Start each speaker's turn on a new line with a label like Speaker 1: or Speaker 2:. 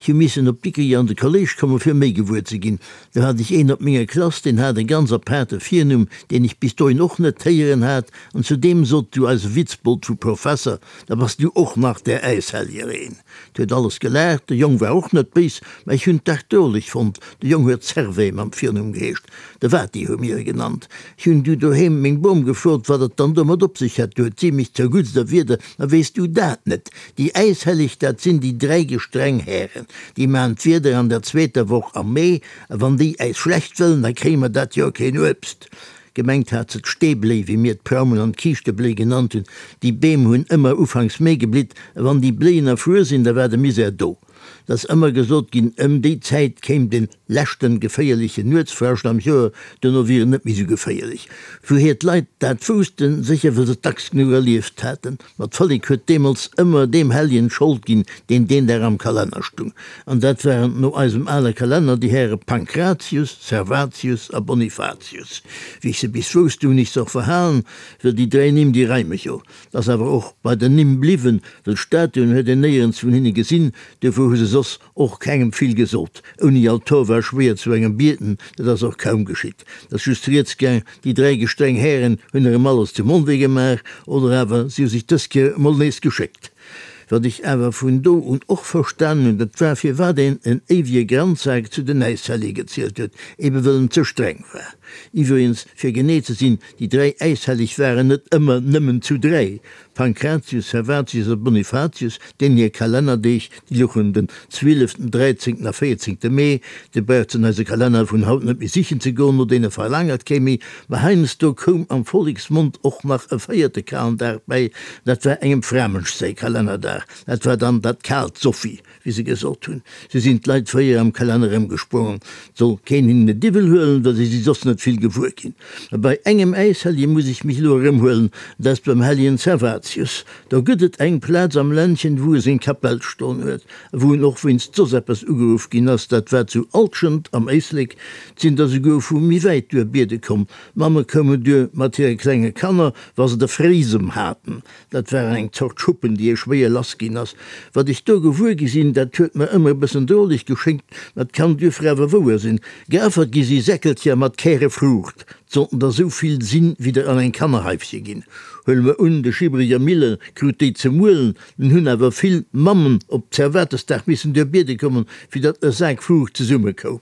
Speaker 1: Ech hu missen op Dikrich an de Kolléisch kommen, fir méi gewuer ze ginn. Do hat ech een op menger Klass, deen hat e ganz apaarte Virnumm, deen ech bis dohin och net héieren hat, an zu deem sot du eise Witzbold vu Professer, Da bass du och nach där Äisheljer een. 't huet alles gelaacht, de Jong war och net béis, mä ech hunn d'dach droleg fonnt. De Jong huet Servais mam Virnumm geheescht, de Vati hu mir e genannt. Ech hunn du doheem meng Bom gefrot, wat et dann domat op sech hätt. Du huet si mech zerguttst erwiedert, Ma weess du dat net? Déi Äishelleg, dat sinn déi dräi gestreng Hären. Déi maachen d'Wieder an der zweeter Woch am Mee, a wann déi äis schlecht wëllen, da kréie mer dat Joer keen Uebst. Gemengt hat se d'Steebléi, wéi mir d'Praumen an d'Kiischtebléi genannt hunn. Déi Beem hunn ëmmer ufanks Mee geblitt, a wann déi Bléien erfruer sinn, da war de Misär do. Et ass ëmmer gesot ginn, ëm déi Zäit kéim de leschten geféierlechen Nuetsfrascht am Joer, duerno wier en net méi sou geféierlech. Wouhier d'Leit dat woussten? Sécher well se et dacks genuch erlieft haten. Ma d'Vollek huet deemools ëmmer deem Helljen d'Schold ginn, deen deen Dag am Kalenner stung. An dat waren no eisem ale Kalenner déi Häre Pankratius, Servatius a Bonifatius. Wéi ech se bis wousst, du hunn ech se och verhalen, well déi dräi Nimm, déi reime jo. 't ass awer och bei den Nimm bliwwen, well Statuen huet een néierens vun hinne gesinn, duerfir hu se soss och kengem vill gesot. Ouni Altor war schwéier zu engem bieten, dat ass och kaum geschitt. 't ass just rieds gaang, déi dräi gestreng Hären hunn erëm alles zum Onwee gemaach, oder awer si hu sech dës Kéier emol nees geschéckt. Wat ech awer vun do un och verstanen hunn, dat war, firwat een en éiwege Granzsak zu den Äishellige gezielt huet, ebe wëll en ze streng war. Iwwregens, fir genee ze sinn, Déi dräi Äishelleg waren net ëmmer nëmmen zu dräi, Pankratius, Servatius a Bonifatius, deenen hir Kalennerdeeg, déi louchen den zwieleften, dräizéngten a véierzéngte Mee. Dir braucht se an eise Kalenner vun haut net méi sichen ze goen, no deene verlaangert kee méi. Mä heiansdo koum am Volleksmond och nach e véierte Kalendag bäi, dat war engem Framënsch säi Kalennerdag, dat war dann dat kaalt Sophie. Wéi se gesot hunn, si sinn d'Leit fréier am Kalenner ëmgesprongen, 't soll keen hinnen et iwwel huelen, well si si soss net vill gewuer ginn. Mä bei engem Äishellje muss ech mech elo erëmhuelen, dat ass beim Helljen Servatius. Do gëtt et eng Plaz am Ländchen, wou e seng Kapell stoen huet, a wou en och wéinst soss eppes ugeruff ginn ass, dat war zu Alschent am Éislek. 't sinn der souguer vu méi wäit duer biede komm. D'Mamme koumen duer mat hire klenge Kanner, wa se de Frisem haten. Dat waren eng Zort Schuppen, déi ee schwéier lass ginn ass. Wat ech do gewuer gi sinn, dat huet mer ëmmer e bëssen droleg geschéngt, ma et kann duerfir awer wouer sinn. Geaffert gi si Säckelcher mat Käre Fruucht. 't sollten der sou vill sinn, wéi der an eng Kannerhaifche ginn. Huele mer un, de Schibreger Mille krut déi ze muelen, dunn hunn awer vill Mammen op Zervatesdag missen duer biede kommen, fir datt e Sak Fruucht zesumme koum.